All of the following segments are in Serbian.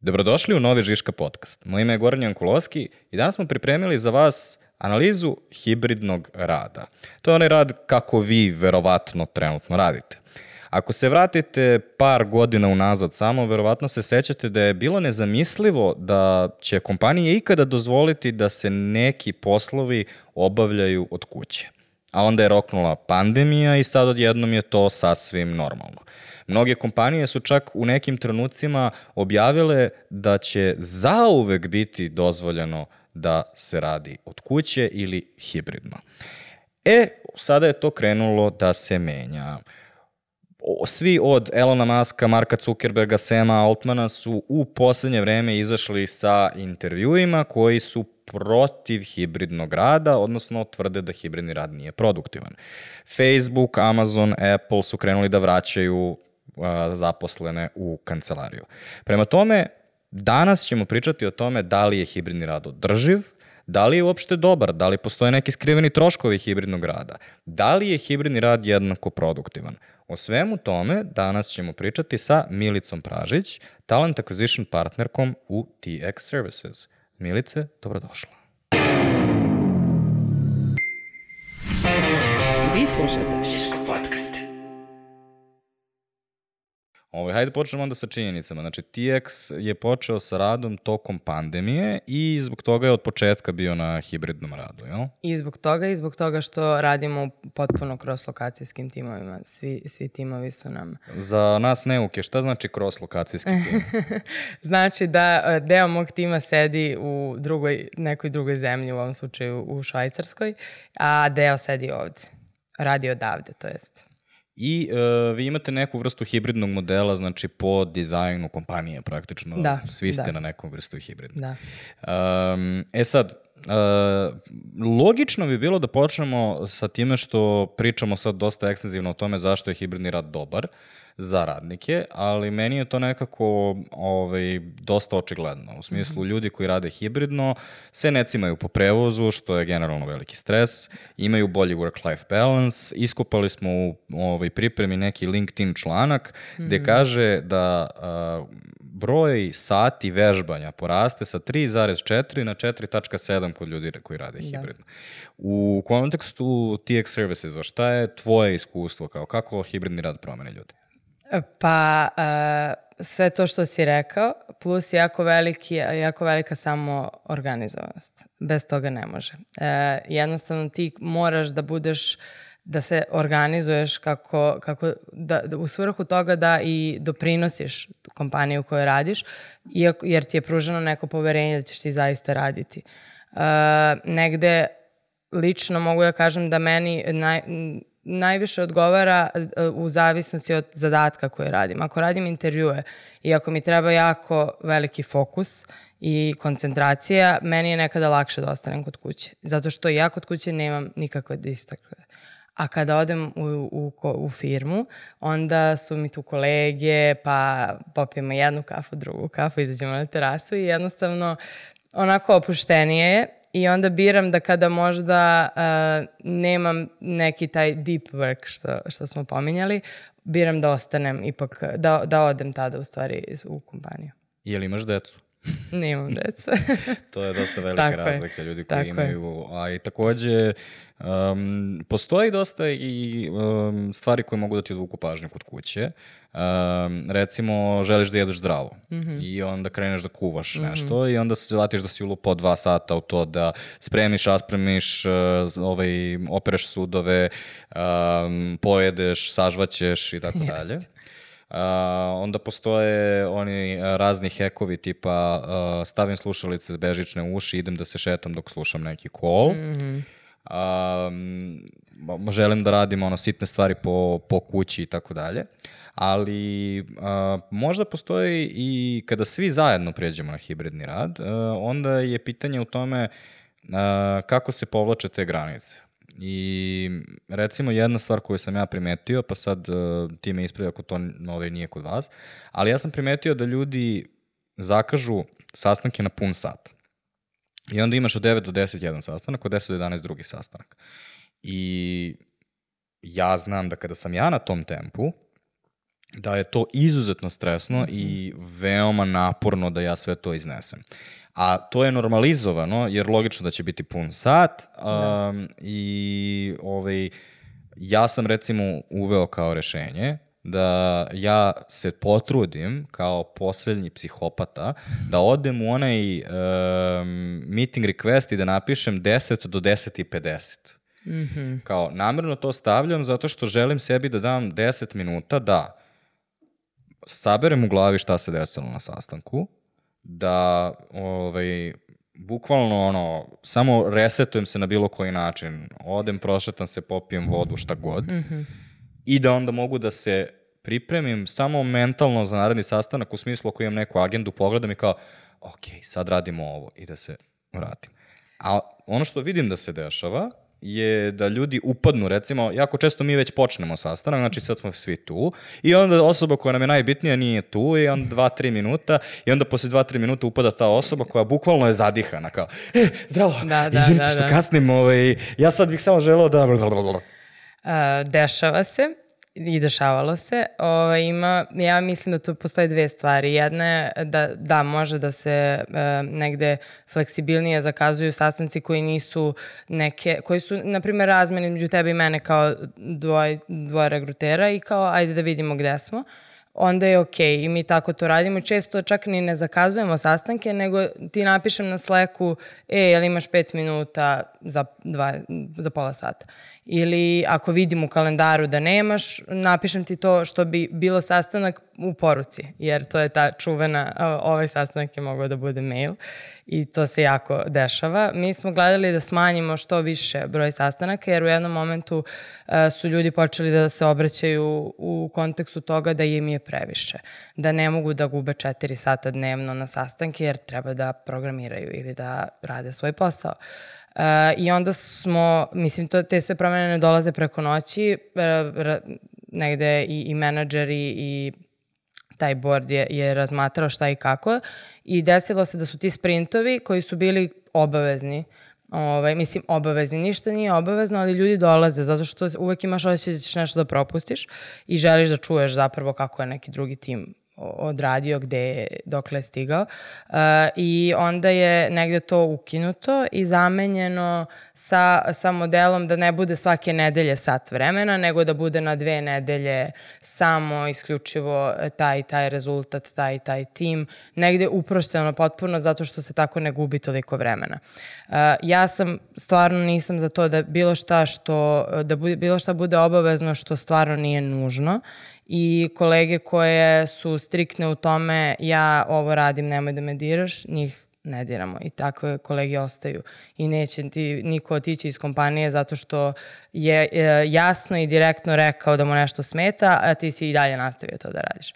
Dobrodošli u novi Žiška podcast. Moje ime je Goran Jankulovski i danas smo pripremili za vas analizu hibridnog rada. To je onaj rad kako vi verovatno trenutno radite. Ako se vratite par godina unazad samo, verovatno se sećate da je bilo nezamislivo da će kompanije ikada dozvoliti da se neki poslovi obavljaju od kuće. A onda je roknula pandemija i sad odjednom je to sasvim normalno. Mnoge kompanije su čak u nekim trenucima objavile da će zauvek biti dozvoljeno da se radi od kuće ili hibridno. Sada je to krenulo da se menja. Svi od Elona Muska, Marka Zuckerberga, Sama Altmana su u poslednje vreme izašli sa intervjuima koji su protiv hibridnog rada, odnosno tvrde da hibridni rad nije produktivan. Facebook, Amazon, Apple su krenuli da vraćaju zaposlene u kancelariju. Prema tome, danas ćemo pričati o tome da li je hibridni rad održiv, da li je uopšte dobar, da li postoje neki skriveni troškovi hibridnog rada, da li je hibridni rad jednako produktivan. O svemu tome danas ćemo pričati sa Milicom Pražić, Talent Acquisition partnerkom u TX Services. Milice, dobrodošla. Vi slušate Žiško podcast. Hajde počnemo onda sa činjenicama. Znači, TX je počeo sa radom tokom pandemije i zbog toga je od početka bio na hibridnom radu, jel? I zbog toga što radimo potpuno cross-lokacijskim timovima. Svi timovi su nam... Za nas neuke, šta znači cross-lokacijski tim? Znači da deo mog tima sedi u nekoj drugoj zemlji, u ovom slučaju u Švajcarskoj, a deo sedi ovde. Radi odavde, to jest... I vi imate neku vrstu hibridnog modela, znači po dizajnu kompanije praktično. Svi ste na nekom vrstu hibridnog. Sad, logično bi bilo da počnemo sa time što pričamo sad dosta ekstenzivno o tome zašto je hibridni rad dobar za radnike, ali meni je to nekako dosta očigledno. U smislu, ljudi koji rade hibridno se ne cimaju po prevozu, što je generalno veliki stres, imaju bolji work-life balance. Iskopali smo u pripremi neki LinkedIn članak gde kaže da broj sati vežbanja poraste sa 3,4 na 4,7 kod ljudi koji rade hibridno. U kontekstu TX Servicesa, šta je tvoje iskustvo, kako hibridni rad promene ljudi? Pa, sve to što si rekao, plus jako velika samoorganizovanost. Bez toga ne može. Jednostavno ti moraš da se organizuješ u svrhu toga da i doprinosiš kompaniju u kojoj radiš, jer ti je pruženo neko poverenje da ćeš ti zaista raditi. Negde, lično mogu da kažem da meni najviše odgovara u zavisnosti od zadatka koje radim. Ako radim intervjue i ako mi treba jako veliki fokus i koncentracija, meni je nekada lakše da ostanem kod kuće. Zato što ja kod kuće nemam nikakve distrakcije. A kada odem u firmu, onda su mi tu kolege, pa popijemo jednu kafu, drugu kafu, izađemo na terasu i jednostavno onako opuštenije je. I onda biram da kada možda nemam neki taj deep work što smo pominjali, biram da ostanem ipak, da odem tada u stvari u kompaniju. Je li imaš decu? Nemam decu. To je dosta velika razlika ljudi koji imaju. A i takođe, postoji dosta i stvari koje mogu da ti odvuku pažnju kod kuće. Recimo, želiš da jedeš zdravo i onda kreneš da kuvaš nešto i onda se zvatiš da si ulupo 2 sata u to da spremiš, raspremiš, opereš sudove, pojedeš, sažvaćeš i tako dalje. Onda postoje oni razni hekovi tipa stavim slušalice bežične u uši, idem da se šetam dok slušam neki call. Želim da radim sitne stvari po kući i tako dalje. Ali možda postoji i kada svi zajedno pređemo na hibridni rad, onda je pitanje u tome kako se povlače te granice. I recimo jedna stvar koju sam ja primetio, pa sad ti me ispravi ako to nije kod vas, ali ja sam primetio da ljudi zakažu sastanke na pun sat. I onda imaš od 9 do 10 jedan sastanak, od 10 do 11 drugi sastanak. I ja znam da kada sam ja na tom tempu, da je to izuzetno stresno i veoma naporno da ja sve to iznesem. A to je normalizovano, jer logično da će biti pun sat i ja sam recimo uveo kao rešenje da ja se potrudim kao poslednji psihopata da odem u onaj meeting request i da napišem 10 do 10:50. Kao namerno to stavljam zato što želim sebi da dam 10 minuta da saberem u glavi šta se desilo na sastanku, da bukvalno samo resetujem se na bilo koji način, odem, prošetam se, popijem vodu, šta god, i da onda mogu da se pripremim samo mentalno za naredni sastanak u smislu ako imam neku agendu, pogledam i kao, ok, sad radimo ovo i da se vratim. A ono što vidim da se dešava je da ljudi upadnu, recimo, jako često mi već počnemo sastanak, znači sad smo svi tu i onda osoba koja nam je najbitnija nije tu i onda 2-3 minuta i onda posle 2-3 minuta upada ta osoba koja bukvalno je zadihana, kao, zdravo, izvinite što kasnim, ja sad bih samo želeo da... Dešava se i dešavalo se. Ja mislim da tu postoje dve stvari. Jedna je da može da se negde fleksibilnije zakazuju sastanci koji nisu koji su, na primjer, razmeni među tebe i mene kao dvoje regrutera i kao ajde da vidimo gde smo. Onda je okej i mi tako to radimo. Često čak ni ne zakazujemo sastanke, nego ti napišem na Slacku, jel imaš 5 minuta za pola sata. Ili ako vidim u kalendaru da nemaš, napišem ti to što bi bilo sastanak u poruci, jer to je ta čuvena, ovaj sastanak je mogao da bude mail i to se jako dešava. Mi smo gledali da smanjimo što više broj sastanaka, jer u jednom momentu su ljudi počeli da se obraćaju u kontekstu toga da im je previše, da ne mogu da gube 4 sata dnevno na sastanke jer treba da programiraju ili da rade svoj posao. I onda smo, mislim, te sve promene ne dolaze preko noći, negde i menadžeri i taj board je razmatrao šta i kako i desilo se da su ti sprintovi koji su bili obavezni, mislim obavezni, ništa nije obavezno, ali ljudi dolaze zato što uvek imaš osjećaj da ćeš nešto da propustiš i želiš da čuješ zapravo kako je neki drugi tim odradio, dokle je stigao i onda je negde to ukinuto i zamenjeno sa modelom da ne bude svake nedelje sat vremena, nego da bude na 2 nedelje samo isključivo taj rezultat, taj tim, negde uprošćeno potpuno zato što se tako ne gubi toliko vremena. Ja stvarno nisam za to da bilo šta bude obavezno što stvarno nije nužno i kolege koje su striktne u tome, ja ovo radim, nemoj da me diraš, njih ne diramo i takve kolege ostaju i neće ti niko otići iz kompanije zato što je jasno i direktno rekao da mu nešto smeta, a ti si i dalje nastavio to da radiš.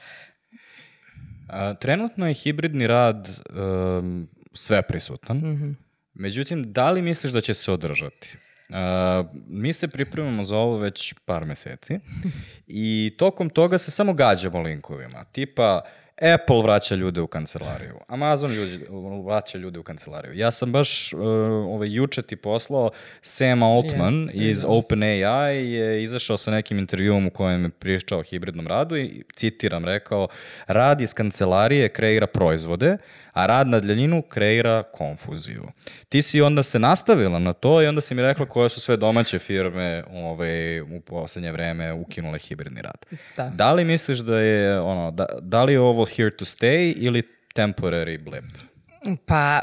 Trenutno je hibridni rad sve prisutan, međutim, da li misliš da će se održati? Mi se pripremamo za ovo već par meseci i tokom toga se samo gađamo linkovima, tipa Apple vraća ljude u kancelariju, Amazon vraća ljude u kancelariju. Ja sam baš juče ti poslao Sam Altman iz OpenAI je izašao sa nekim intervjuom u kojem je pričao o hibridnom radu i citiram, rekao, rad iz kancelarije kreira proizvode, a rad na daljinu kreira konfuziju. Ti si onda se nastavila na to i onda si mi rekla koje su sve domaće firme u poslednje vreme ukinule hibridni rad. Da li misliš da je da li je ovo here to stay ili temporary blip? Pa,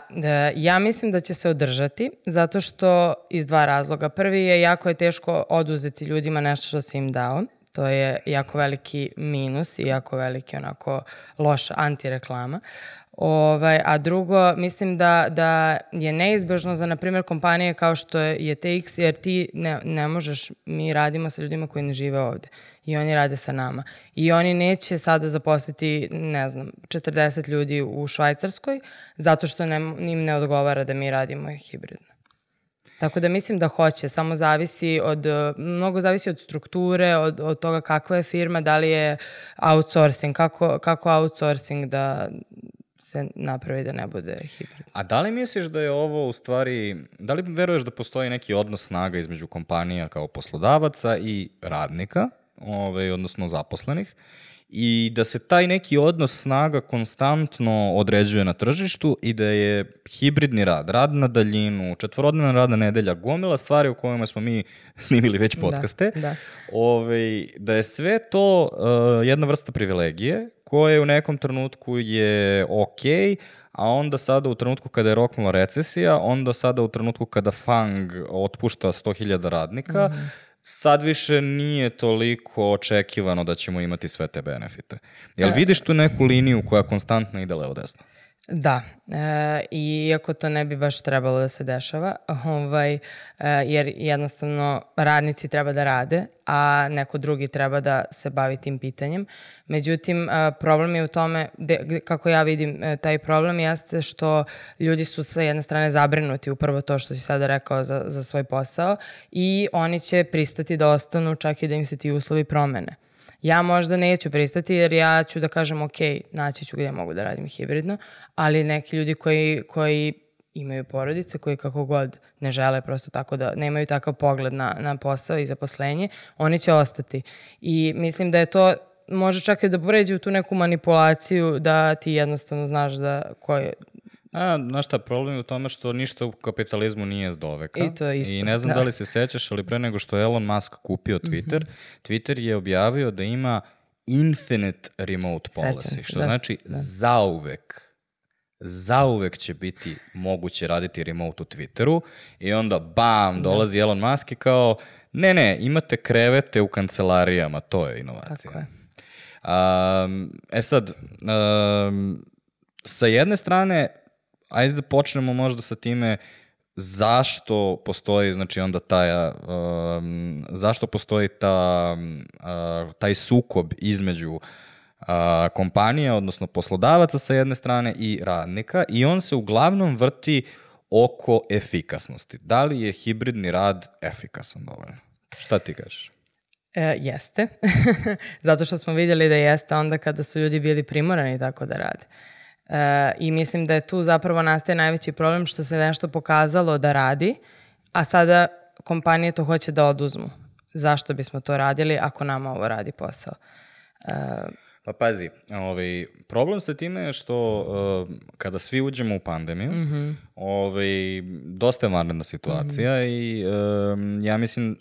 ja mislim da će se održati, zato što iz 2 razloga. Prvi je jako je teško oduzeti ljudima nešto što si im dao. To je jako veliki minus i jako veliki onako loša antireklama. A drugo, mislim da je neizbežno za, na primjer, kompanije kao što je TX, jer ti ne možeš, mi radimo sa ljudima koji ne žive ovde i oni rade sa nama. I oni neće sada zaposliti, 40 ljudi u Švajcarskoj, zato što im ne odgovara da mi radimo hibridno. Tako da mislim da hoće, samo mnogo zavisi od strukture, od toga kakva je firma, da li je outsourcing, kako outsourcing da se napravi da ne bude hibrid. A da li misliš da je ovo u stvari, da li veruješ da postoji neki odnos snaga između kompanija kao poslodavaca i radnika, odnosno zaposlenih, i da se taj neki odnos snaga konstantno određuje na tržištu i da je hibridni rad, rad na daljinu, četvorodnevna radna nedelja, gomila stvari u kojima smo mi snimili već podcaste, da je sve to jedna vrsta privilegije koje u nekom trenutku je okej, a onda sada u trenutku kada je roknula recesija, onda sada u trenutku kada FANG otpušta 100.000 radnika, sad više nije toliko očekivano da ćemo imati sve te benefite. Jel vidiš tu neku liniju koja konstantno ide levo desno? Da, iako to ne bi baš trebalo da se dešava, jer jednostavno radnici treba da rade, a neko drugi treba da se bavi tim pitanjem. Međutim, problem je u tome, kako ja vidim taj problem, jeste što ljudi su sa jedne strane zabrinuti, upravo to što si sada rekao za svoj posao, i oni će pristati da ostanu čak i da im se ti uslovi promene. Ja možda neću pristati jer ja ću da kažem ok, naći ću gdje mogu da radim hibridno, ali neki ljudi koji imaju porodice, koji kako god ne žele prosto tako da nemaju takav pogled na posao i zaposlenje, oni će ostati. I mislim da je to, može čak i da pređe u tu neku manipulaciju da ti jednostavno znaš da ko je... Znaš šta, problem je u tome što ništa u kapitalizmu nije s doveka. I to isto. I ne znam da li se sećaš, ali pre nego što je Elon Musk kupio Twitter, Twitter je objavio da ima infinite remote policy, što znači zauvek će biti moguće raditi remote u Twitteru i onda bam, dolazi Elon Musk i kao ne, imate krevete u kancelarijama, to je inovacija. Tako je. Sad, sa jedne strane, ajde da počnemo možda sa time zašto postoji, znači onda zašto postoji taj sukob između kompanija, odnosno poslodavaca sa jedne strane i radnika, i on se uglavnom vrti oko efikasnosti. Da li je hibridni rad efikasan dovoljno? Šta ti kažeš? Jeste. Zato što smo vidjeli da jeste onda kada su ljudi bili primorani tako da rade. I mislim da je tu zapravo nastaje najveći problem što se nešto pokazalo da radi, a sada kompanije to hoće da oduzmu. Zašto bismo to radili ako nama ovo radi posao? Pa pazi, problem sa time je što kada svi uđemo u pandemiju, dosta je vanredna situacija i ja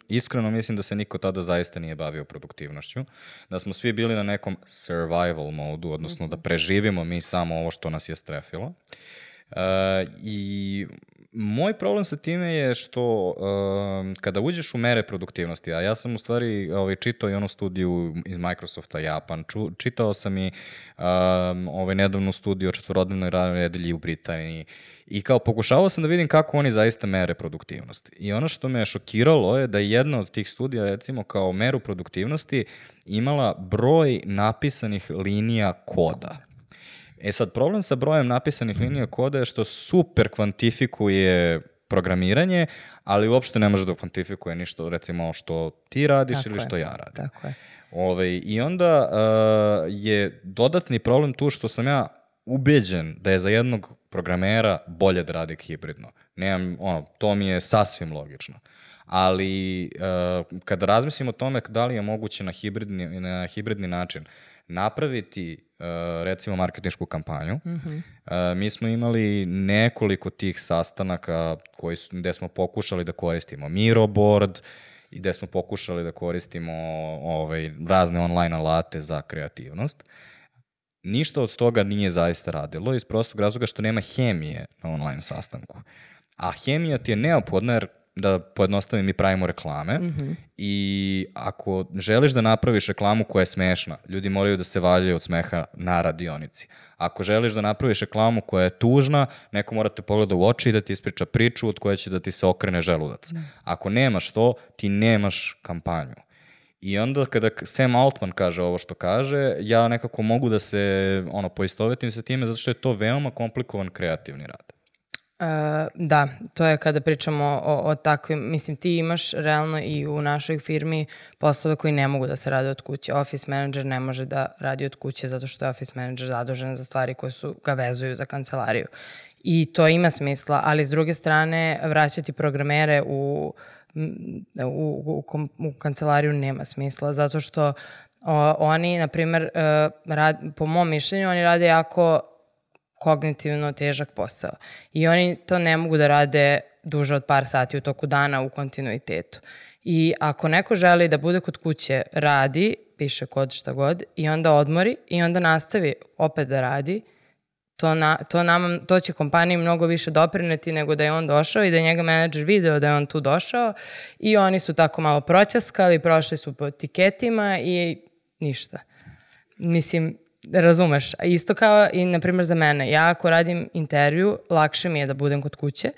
iskreno mislim da se niko tada zaista nije bavio produktivnošću, da smo svi bili na nekom survival modu, odnosno da preživimo mi samo ovo što nas je strefilo. I moj problem sa time je što kada uđeš u mere produktivnosti, a ja sam u stvari čitao i onu studiju iz Microsofta Japan, čitao sam i nedavnu studiju o četvorodnevnoj radnoj nedelji u Britaniji i kao pokušavao sam da vidim kako oni zaista mere produktivnosti. I ono što me je šokiralo je da je jedna od tih studija, recimo kao meru produktivnosti, imala broj napisanih linija koda. Sad, problem sa brojem napisanih linija koda je što super kvantifikuje programiranje, ali uopšte ne može da kvantifikuje ništa, recimo, što ti radiš tako ili što ja radim. Tako je. I onda je dodatni problem tu što sam ja ubeđen da je za jednog programera bolje da radi hibridno. To mi je sasvim logično. Ali kada razmislim o tome da li je moguće na hibridni način napraviti recimo marketinšku kampanju. Mi smo imali nekoliko tih sastanaka gde smo pokušali da koristimo Miroboard i gde smo pokušali da koristimo razne online alate za kreativnost. Ništa od toga nije zaista radilo iz prostog razloga što nema hemije na online sastanku. A hemija ti je neophodna jer da pojednostavim, mi pravimo reklame i ako želiš da napraviš reklamu koja je smešna, ljudi moraju da se valjaju od smeha na radionici. Ako želiš da napraviš reklamu koja je tužna, neko mora te pogleda u oči i da ti ispriča priču od koje će da ti se okrene želudac. Ako nemaš to, ti nemaš kampanju. I onda kada Sam Altman kaže ovo što kaže, ja nekako mogu da se poistovetim sa time zato što je to veoma komplikovan kreativni rad. Da, to je kada pričamo o takvim, mislim ti imaš realno i u našoj firmi poslove koji ne mogu da se rade od kuće. Office manager ne može da radi od kuće zato što je office manager zadužen za stvari koje ga vezuju za kancelariju. I to ima smisla, ali s druge strane vraćati programere u kancelariju nema smisla zato što Oni, na primjer, po mom mišljenju, oni rade jako kognitivno težak posao. I oni to ne mogu da rade duže od par sati u toku dana u kontinuitetu. I ako neko želi da bude kod kuće, radi, piše kod šta god, i onda odmori i onda nastavi opet da radi, to će kompaniji mnogo više doprineti nego da je on došao i da je njega menadžer video da je on tu došao i oni su tako malo proćaskali, prošli su po tiketima i ništa. Mislim, razumeš. Isto kao i, na primjer, za mene. Ja ako radim intervju, lakše mi je da budem kod kuće,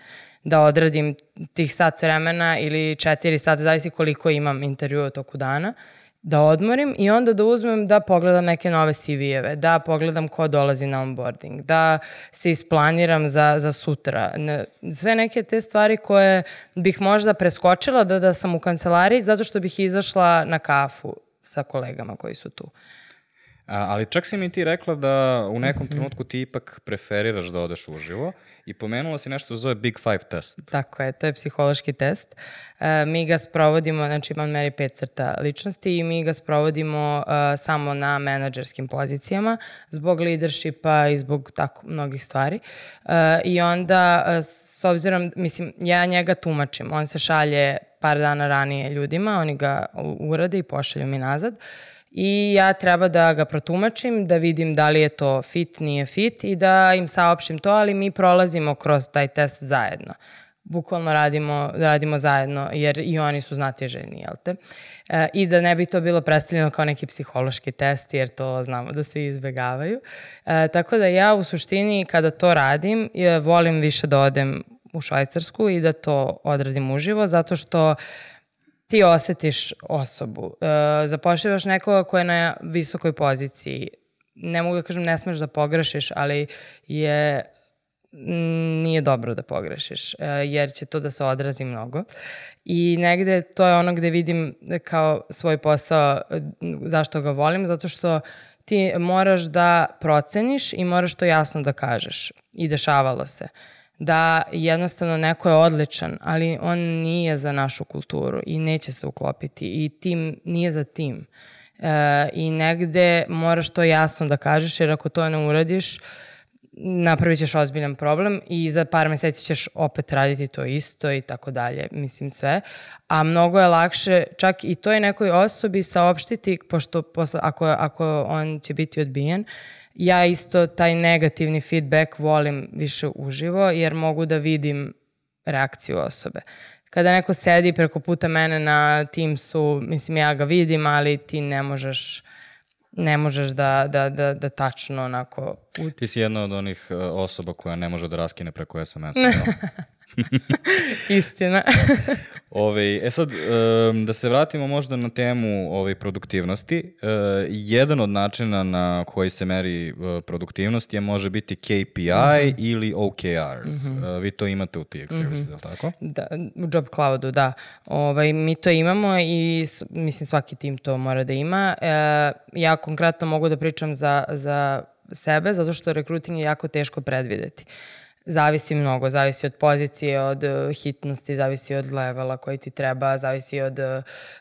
da odradim tih sat vremena ili 4 sata, zavisi koliko imam intervjua u toku dana, da odmorim i onda da uzmem da pogledam neke nove CV-eve, da pogledam ko dolazi na onboarding, da se isplaniram za sutra. Sve neke te stvari koje bih možda preskočila da sam u kancelariji zato što bih izašla na kafu sa kolegama koji su tu. Ali čak si mi ti rekla da u nekom trenutku ti ipak preferiraš da odeš uživo i pomenula si nešto zove Big Five test. Tako je, to je psihološki test. Mi ga sprovodimo, znači on meri 5 crta ličnosti i mi ga sprovodimo samo na menadžerskim pozicijama zbog leadershipa i zbog tako mnogih stvari. I onda, s obzirom, mislim, ja njega tumačim. On se šalje par dana ranije ljudima, oni ga urade i pošalju mi nazad. I ja treba da ga protumačim, da vidim da li je to fit, nije fit i da im saopštim to, ali mi prolazimo kroz taj test zajedno. Bukvalno radimo zajedno, jer i oni su znatiželjni, jel te? I da ne bi to bilo predstavljeno kao neki psihološki test, jer to znamo da se izbegavaju. Tako da ja u suštini kada to radim, volim više da odem u Švajcarsku i da to odradim uživo, zato što ti osetiš osobu. Zapošljivaš nekoga ko je na visokoj poziciji. Ne mogu da kažem ne smeš da pogrešiš, ali nije dobro da pogrešiš, jer će to da se odrazi mnogo. I negde to je ono gde vidim kao svoj posao zašto ga volim, zato što ti moraš da proceniš i moraš to jasno da kažeš. I dešavalo se da jednostavno neko je odličan, ali on nije za našu kulturu i neće se uklopiti i tim nije za tim. I negde moraš to jasno da kažeš, jer ako to ne uradiš, napravit ćeš ozbiljan problem i za par meseci ćeš opet raditi to isto i tako dalje, mislim sve. A mnogo je lakše čak i toj nekoj osobi saopštiti, pošto ako on će biti odbijen, ja isto taj negativni feedback volim više uživo, jer mogu da vidim reakciju osobe. Kada neko sedi preko puta mene na Teamsu, mislim ja ga vidim, ali ti ne možeš da tačno onako... Ti si jedna od onih osoba koja ne može da raskine preko SMS-a. Istina. Sad, da se vratimo možda na temu produktivnosti. Jedan od načina na koji se meri produktivnost može biti KPI ili OKRs. Vi to imate u TX Services, je li tako? Da, u Job Cloudu, da. Mi to imamo i mislim svaki tim to mora da ima. Ja konkretno mogu da pričam za sebe, zato što rekruting je jako teško predvideti. Zavisi mnogo, zavisi od pozicije, od hitnosti, zavisi od levela koji ti treba, zavisi od,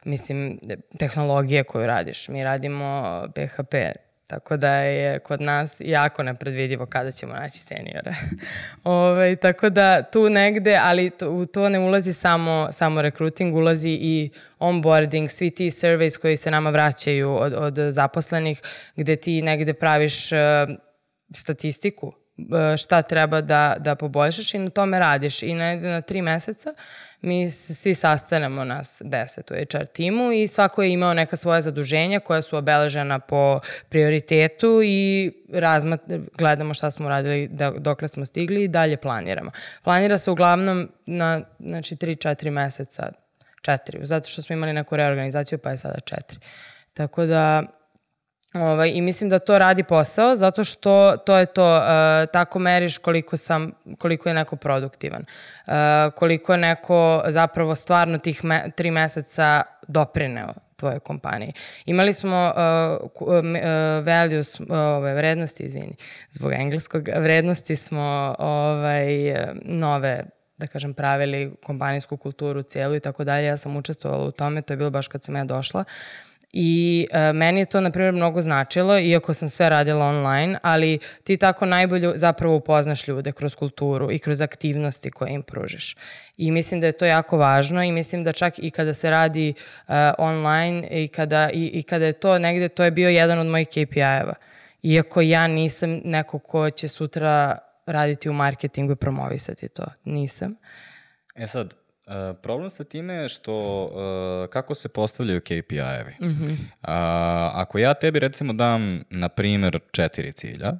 mislim, tehnologije koju radiš. Mi radimo PHP, tako da je kod nas jako nepredvidivo kada ćemo naći seniore. Tako da tu negde, ali u to ne ulazi samo recruiting, ulazi i onboarding, svi ti surveys koji se nama vraćaju od zaposlenih, gde ti negde praviš statistiku šta treba da poboljšaš i na tome radiš. I na 3 meseca mi svi sastanemo nas 10 u HR timu i svako je imao neka svoja zaduženja koja su obeležena po prioritetu i gledamo šta smo radili dokle smo stigli i dalje planiramo. Planira se uglavnom na 3-4 meseca, 4, zato što smo imali neku reorganizaciju pa je sada 4. Tako da i mislim da to radi posao, zato što to je to, tako meriš koliko je neko produktivan, koliko je neko zapravo stvarno tih 3 meseca doprineo tvojoj kompaniji. Imali smo values, vrednosti, zbog engleskog, vrednosti smo nove, da kažem, pravili kompanijsku kulturu cijelu i tako dalje. Ja sam učestvovala u tome, to je bilo baš kad sam ja došla. I meni je to, na primjer, mnogo značilo, iako sam sve radila online, ali ti tako najbolje zapravo upoznaš ljude kroz kulturu i kroz aktivnosti koje im pružiš. I mislim da je to jako važno i mislim da čak i kada se radi online i kada je to negde, to je bio jedan od mojih KPI-eva. Iako ja nisam neko ko će sutra raditi u marketingu i promovisati to. Nisam. Sad, problem sa time je što kako se postavljaju KPI-evi. Ako ja tebi recimo dam, na primjer, 4 cilja,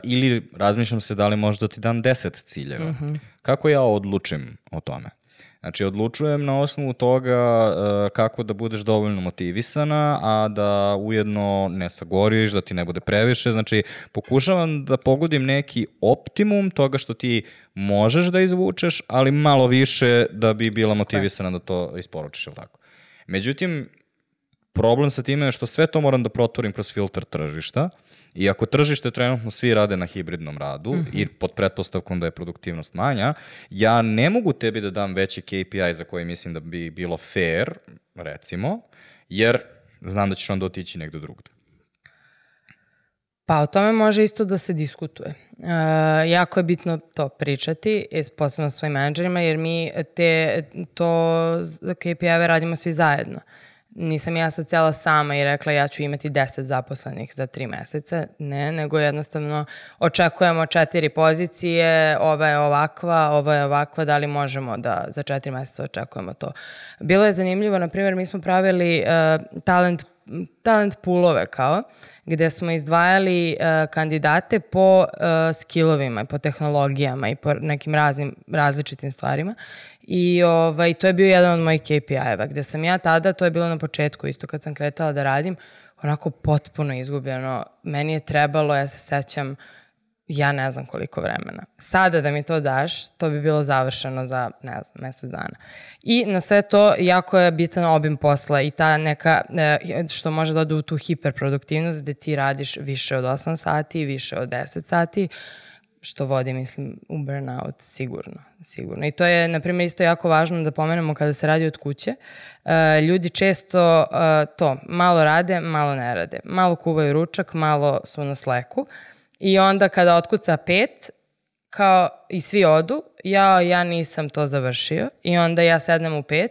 ili razmišljam se da li možda ti dam 10 ciljeva, kako ja odlučim o tome? Znači, odlučujem na osnovu toga kako da budeš dovoljno motivisana, a da ujedno ne sagoriš, da ti ne bude previše. Znači, pokušavam da pogodim neki optimum toga što ti možeš da izvučeš, ali malo više da bi bila motivisana da to isporučiš, ili tako. Međutim, problem sa time je što sve to moram da proturim kroz filter tržišta, i ako tržište trenutno svi rade na hibridnom radu i pod pretpostavkom da je produktivnost manja, ja ne mogu tebi da dam veći KPI za koji mislim da bi bilo fair, recimo, jer znam da ćeš onda otići negde drugde. Pa o tome može isto da se diskutuje. Jako je bitno to pričati, posebno svojim menadžerima, jer mi to KPI-eve radimo svi zajedno. Nisam ja sad cijela sama i rekla ja ću imati 10 zaposlenih za 3 meseca. Ne, nego jednostavno očekujemo 4 pozicije, ova je ovakva, da li možemo da za 4 meseca očekujemo to. Bilo je zanimljivo, na primjer, mi smo pravili talent poolove gde smo izdvajali kandidate po skillovima, po tehnologijama i po nekim različitim stvarima. I to je bio jedan od mojih KPI-eva, gde sam ja tada, to je bilo na početku, isto kad sam kretala da radim, onako potpuno izgubljeno. Meni je trebalo, ja se sećam, ja ne znam koliko vremena. Sada da mi to daš, to bi bilo završeno za, ne znam, mesec dana. I na sve to jako je bitan obim posla i ta neka, što može da ode u tu hiperproduktivnost gde ti radiš više od 8 sati, više od 10 sati, što vodi, mislim, u burnout, sigurno. I to je, na primjer, isto jako važno da pomenemo kada se radi od kuće. Ljudi često malo rade, malo ne rade. Malo kuvaju ručak, malo su na Slacku. I onda kada otkuca 5, kao i svi odu, ja nisam to završio. I onda ja sednem u 5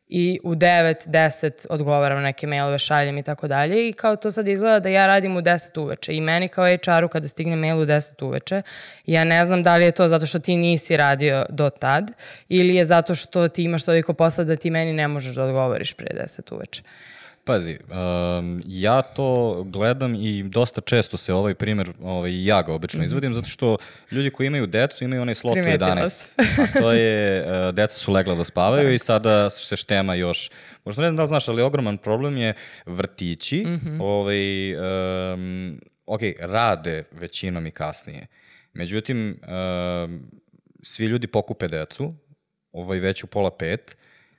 i u 9, 10 odgovaram neke mailove, šaljem i tako dalje. I kao to sad izgleda da ja radim u 10 uveče. I meni kao HR-u kada stigne mail u 10 uveče, ja ne znam da li je to zato što ti nisi radio do tad ili je zato što ti imaš toliko posla da ti meni ne možeš da odgovoriš pre 10 uveče. Pazi, ja to gledam i dosta često se ovaj primjer, ja ga obično izvodim, zato što ljudi koji imaju decu imaju onaj slot u 11. A to je, deca su legla da spavaju i sada se štema još. Možda ne znam da li znaš, ali ogroman problem je vrtići, rade većinom i kasnije. Međutim, svi ljudi pokupe decu, već u 4:30,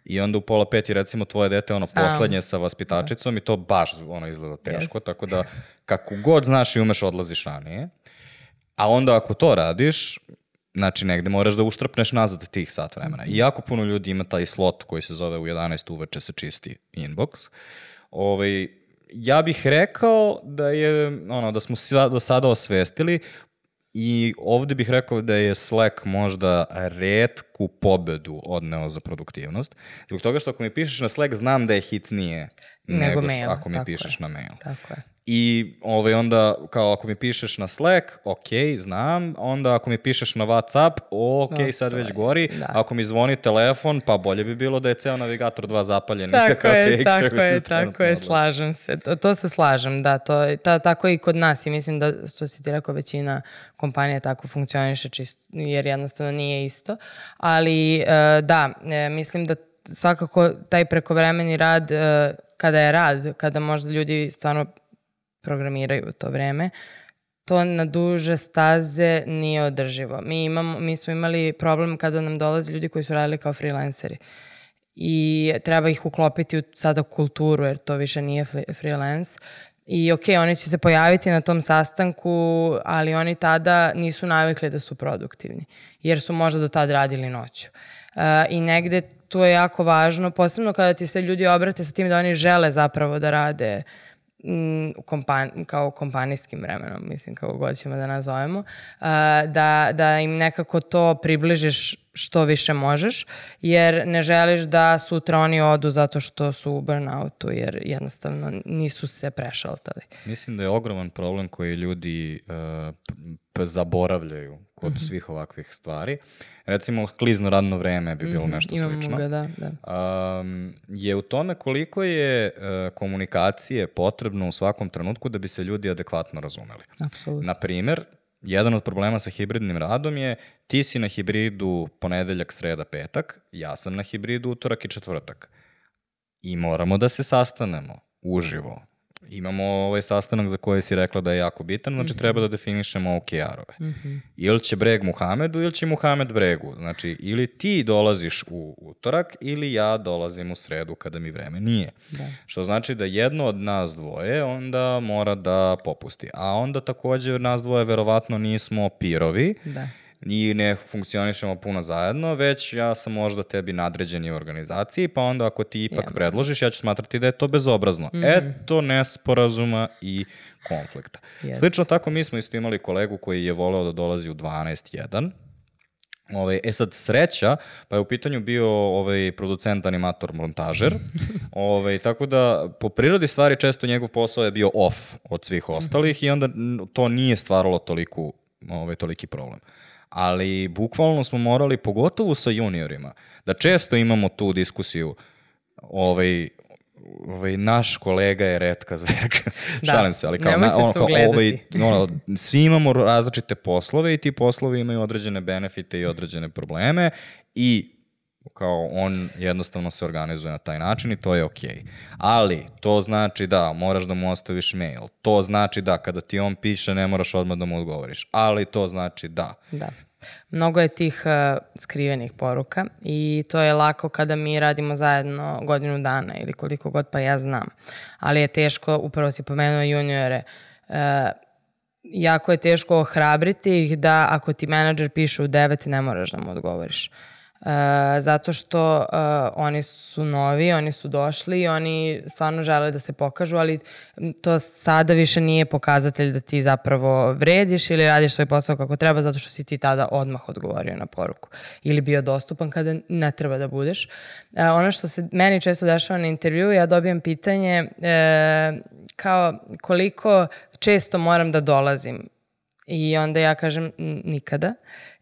i onda u 4:30 je recimo tvoje dete poslednje sa vaspitačicom i to baš izgleda teško, tako da kako god znaš i umeš odlaziš ranije. A onda ako to radiš, znači negde moraš da uštrpneš nazad tih sat vremena. I jako puno ljudi ima taj slot koji se zove u 11 uveče se čisti inbox. Ja bih rekao da smo do sada osvestili. I ovde bih rekao da je Slack možda retku pobedu odneo za produktivnost. Zbog toga što ako mi pišeš na Slack, znam da je hitnije nego ako mi pišeš na mail. Tako je. I onda, kao ako mi pišeš na Slack, ok, znam. Onda ako mi pišeš na WhatsApp, ok, sad već gori. Ako mi zvoni telefon, pa bolje bi bilo da je ceo navigator 2 zapaljen. Tako je, slažem se. To se slažem, da. Tako i kod nas i mislim da, što si ti rekao, većina kompanija tako funkcioniše jer jednostavno nije isto. Ali da, mislim da svakako taj prekovremeni rad, kada možda ljudi stvarno programiraju u to vreme, to na duže staze nije održivo. Mi smo imali problem kada nam dolaze ljudi koji su radili kao freelanceri i treba ih uklopiti sada u kulturu, jer to više nije freelance. I oni će se pojaviti na tom sastanku, ali oni tada nisu navikli da su produktivni, jer su možda do tad radili noću. I negde to je jako važno, posebno kada ti se ljudi obrate sa tim da oni žele zapravo da rade kao kompanijskim vremenom, mislim, kako god ćemo da nazovemo, da im nekako to približiš što više možeš, jer ne želiš da sutra oni odu zato što su u burnoutu, jer jednostavno nisu se prešaltali. Mislim da je ogroman problem koji ljudi zaboravljaju kod svih ovakvih stvari. Recimo, klizno radno vreme bi bilo nešto slično. Ga, da. Je u tome koliko je komunikacije potrebno u svakom trenutku da bi se ljudi adekvatno razumeli. Apsolutno. Naprimer, jedan od problema sa hibridnim radom je ti si na hibridu ponedeljak, sreda, petak, ja sam na hibridu utorak i četvrtak. I moramo da se sastanemo uživo. Imamo ovaj sastanak za koji si rekla da je jako bitan, znači treba da definišemo OKR-ove. Ili će Breg Muhamedu ili će Muhamed Bregu. Znači, ili ti dolaziš u utorak ili ja dolazim u sredu kada mi vreme nije. Da. Što znači da jedno od nas dvoje onda mora da popusti. A onda takođe nas dvoje verovatno nismo pirovi. Da. I ne funkcionišemo puno zajedno, već ja sam možda tebi nadređeni u organizaciji, pa onda ako ti ipak predložiš, ja ću smatrati da je to bezobrazno. Eto nesporazuma i konflikta. Slično tako mi smo isto imali kolegu koji je voleo da dolazi u 12:01. Sad sreća, pa je u pitanju bio producent, animator, montažer, tako da po prirodi stvari često njegov posao je bio off od svih ostalih i onda to nije stvaralo toliki problem. Ali bukvalno smo morali, pogotovo sa juniorima, da često imamo tu diskusiju, naš kolega je retka zverka. Šalim se, ali svi imamo različite poslove i ti poslovi imaju određene benefite i određene probleme i kao on jednostavno se organizuje na taj način i to je okej. Ali to znači da moraš da mu ostaviš mail, to znači da kada ti on piše ne moraš odmah da mu odgovoriš, ali to znači da. Da. Mnogo je tih skrivenih poruka i to je lako kada mi radimo zajedno godinu dana ili koliko god, pa ja znam. Ali je teško, upravo si pomenuo juniore, jako je teško ohrabriti ih da ako ti menadžer piše u 9 ne moraš da mu odgovoriš. Zato što oni su novi, oni su došli i oni stvarno žele da se pokažu, ali to sada više nije pokazatelj da ti zapravo vrediš ili radiš svoj posao kako treba, zato što si ti tada odmah odgovorio na poruku ili bio dostupan kada ne treba da budeš. Ono što se meni često dešava na intervju, ja dobijem pitanje kao koliko često moram da dolazim i onda ja kažem nikada.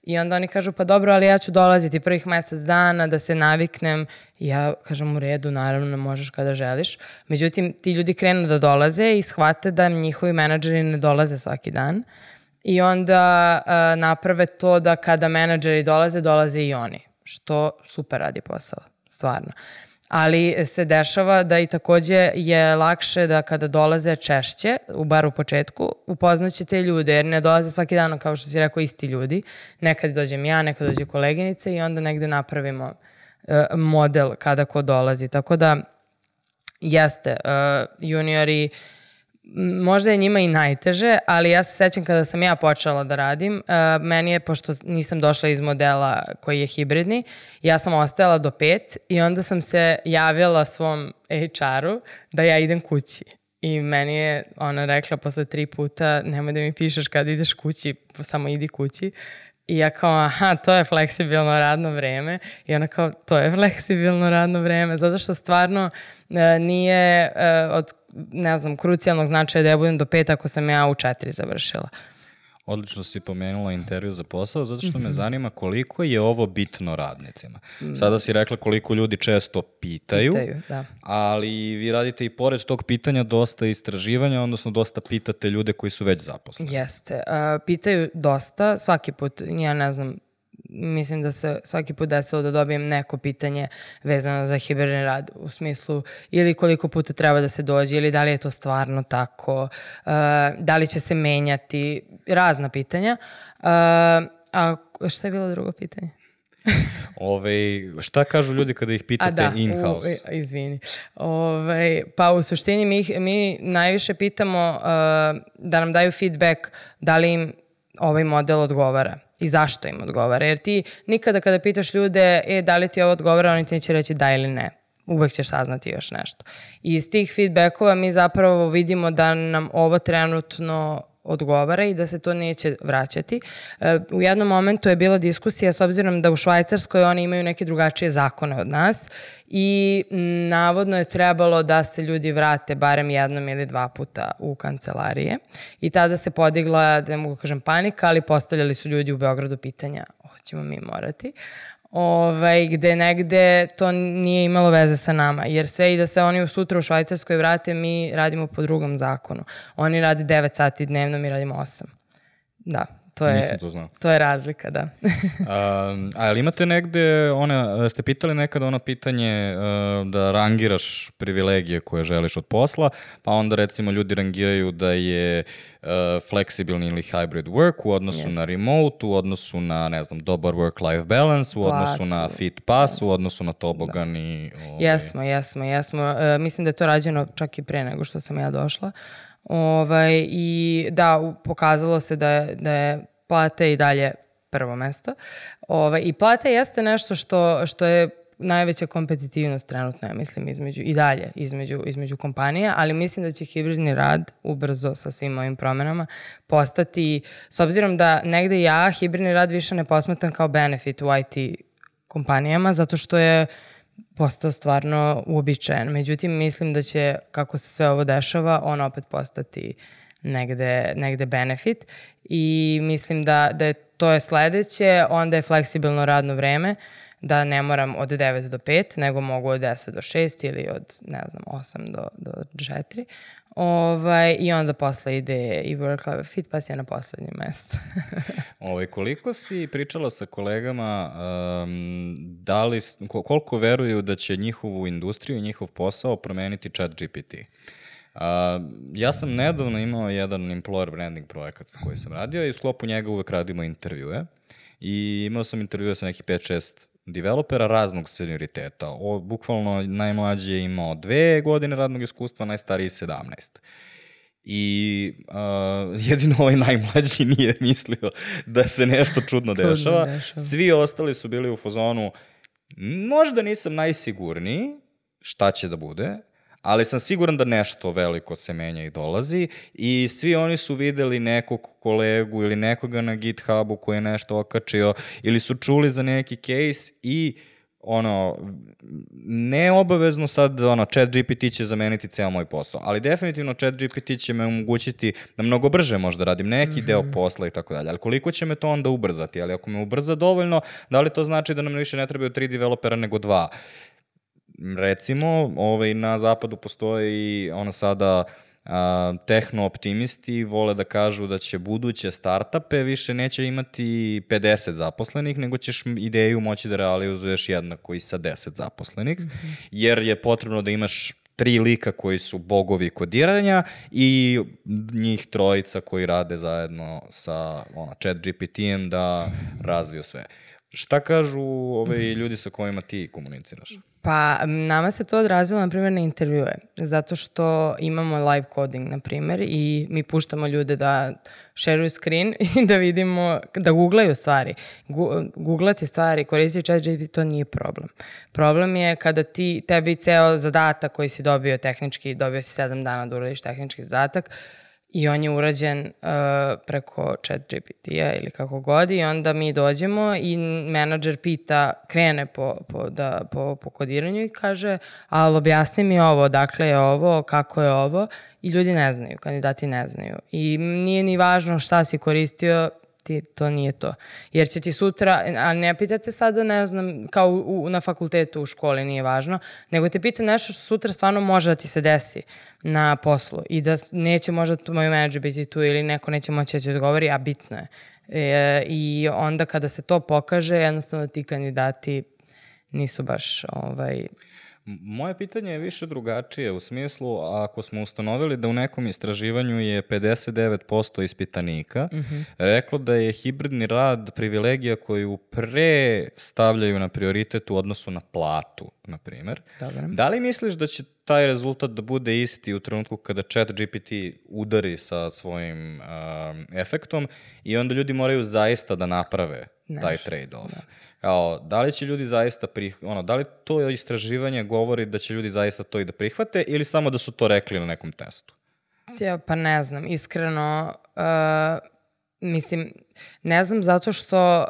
I onda oni kažu, pa dobro, ali ja ću dolaziti prvih mesec dana da se naviknem. I ja kažem, u redu, naravno, ne možeš kada želiš. Međutim, ti ljudi krenu da dolaze i shvate da njihovi menadžeri ne dolaze svaki dan. I onda naprave to da kada menadžeri dolaze i oni. Što super radi posao, stvarno. Ali se dešava da i takođe je lakše da kada dolaze češće, bar u početku, upoznaće te ljude, jer ne dolaze svaki dan, kao što si rekao, isti ljudi. Nekad dođem ja, nekad dođe koleginice i onda negde napravimo model kada ko dolazi. Tako da jeste, juniori, možda je njima i najteže, ali ja se sećam kada sam ja počela da radim, meni je, pošto nisam došla iz modela koji je hibridni, ja sam ostajala do 5 i onda sam se javila svom HR-u da ja idem kući. I meni je ona rekla posle 3 puta, nemoj da mi pišeš kad ideš kući, samo idi kući. I ja kao, aha, to je fleksibilno radno vreme. I ona kao, to je fleksibilno radno vreme. Zato što stvarno nije od, ne znam, krucijalnog značaja da ja budem do 5 ako sam ja u 4 završila. Odlično si pomenula intervju za posao, zato što me zanima koliko je ovo bitno radnicima. Sada si rekla koliko ljudi često pitaju, da. Ali vi radite i pored tog pitanja dosta istraživanja, odnosno dosta pitate ljude koji su već zaposleni. Jeste. Pitaju dosta, svaki put, ja ne znam, mislim da se svaki put desilo da dobijem neko pitanje vezano za hibridni rad, u smislu ili koliko puta treba da se dođe ili da li je to stvarno tako, da li će se menjati, razna pitanja. A šta je bilo drugo pitanje? Šta kažu ljudi kada ih pitate in-house? Izvini. Pa u suštini mi najviše pitamo da nam daju feedback da li im ovaj model odgovara i zašto im odgovara. Jer ti nikada kada pitaš ljude da li ti ovo odgovara, oni ti neće reći da ili ne. Uvek ćeš saznati još nešto. I iz tih feedbackova mi zapravo vidimo da nam ovo trenutno odgovara i da se to neće vraćati. U jednom momentu je bila diskusija s obzirom da u Švajcarskoj oni imaju neke drugačije zakone od nas i navodno je trebalo da se ljudi vrate barem jednom ili 2 puta u kancelarije i tada se podigla, da ne mogu kažem panika, ali postavljali su ljudi u Beogradu pitanja hoćemo mi morati. Gde negde to nije imalo veze sa nama, jer sve i da se oni sutra u Švajcarskoj vrate, mi radimo po drugom zakonu. Oni rade 9 sati dnevno, mi radimo 8. Da, to je razlika, da. Ali imate negde, ste pitali nekada ono pitanje da rangiraš privilegije koje želiš od posla, pa onda recimo ljudi rangiraju da je fleksibilni ili hybrid work u odnosu na remote, u odnosu na, ne znam, dobar work-life balance, u odnosu na fit pass, u odnosu na tobogan i... Jesmo. Mislim da je to rađeno čak i pre nego što sam ja došla. I da, pokazalo se da je plata i dalje prvo mesto. I plata jeste nešto što je najveća kompetitivnost trenutno, ja mislim, između kompanija, ali mislim da će hibridni rad ubrzo sa svim ovim promenama postati, s obzirom da negde ja hibridni rad više ne posmatram kao benefit u IT kompanijama, zato što je postao stvarno uobičajen. Međutim, mislim da će, kako se sve ovo dešava, on opet postati negde benefit i mislim da je to je sledeće, onda je fleksibilno radno vreme, da ne moram od 9 do 5, nego mogu od 10 do 6 ili od, 8 do 4. I onda posle ide i work-life fit, pa si je na poslednjem mestu. Koliko si pričala sa kolegama, koliko veruju da će njihovu industriju i njihov posao promeniti ChatGPT? Ja sam nedavno imao jedan employer branding projekat s koji sam radio i u sklopu njega uvek radimo intervjue. I imao sam intervjue sa nekih 5-6 developera raznog senioriteta. Bukvalno najmlađi je imao 2 godine radnog iskustva, najstariji 17. I jedino ovaj najmlađi nije mislio da se nešto čudno dešava. Svi ostali su bili u fazonu, možda nisam najsigurniji šta će da bude, ali sam siguran da nešto veliko se menja i dolazi i svi oni su videli nekog kolegu ili nekoga na GitHubu koji je nešto okačio ili su čuli za neki case i ne obavezno sad ChatGPT će zameniti ceo moj posao, ali definitivno ChatGPT će me omogućiti da mnogo brže možda radim neki deo posla i tako dalje, ali koliko će me to onda ubrzati, ali ako me ubrza dovoljno, da li to znači da nam više ne trebaju 3 developera nego 2? Recimo, na zapadu postoji sada tehno-optimisti vole da kažu da će buduće startupe više neće imati 50 zaposlenih, nego ćeš ideju moći da realizuješ jednako i sa 10 zaposlenih, jer je potrebno da imaš 3 lika koji su bogovi kodiranja i njih 3 koji rade zajedno sa ChatGPT-em da razviju sve. Šta kažu ljudi sa kojima ti komuniciraš? Pa nama se to odrazilo, na primjer, na intervjue, zato što imamo live coding, na primjer, i mi puštamo ljude da šeruju screen i da vidimo, da googlaju stvari. Googlati stvari, koristiti ChatGPT, to nije problem. Problem je kada tebi ceo zadatak koji si dobio tehnički, dobio si 7 dana da uradiš tehnički zadatak, i on je urađen preko ChatGPT-a ili kako god i onda mi dođemo i menadžer krene po kodiranju i kaže, ali objasni mi ovo, dakle je ovo, kako je ovo i ljudi ne znaju, kandidati ne znaju. I nije ni važno šta si koristio, to nije to. Jer će ti sutra, a ne pitate sada, ne znam, kao na fakultetu u školi, nije važno, nego te pita nešto što sutra stvarno može da ti se desi na poslu i da neće možda moj menadžer biti tu ili neko neće moći da ti odgovori, a bitno je. I onda kada se to pokaže, jednostavno ti kandidati nisu baš Moje pitanje je više drugačije, u smislu ako smo ustanovili da u nekom istraživanju je 59% ispitanika reklo da je hibridni rad privilegija koju pre stavljaju na prioritet u odnosu na platu, na primjer. Da li misliš da će taj rezultat da bude isti u trenutku kada ChatGPT udari sa svojim efektom i onda ljudi moraju zaista da naprave taj trade-off? Da li će ljudi zaista da li to istraživanje govori da će ljudi zaista to i da prihvate ili samo da su to rekli na nekom testu? Pa ne znam, iskreno, mislim, ne znam zato što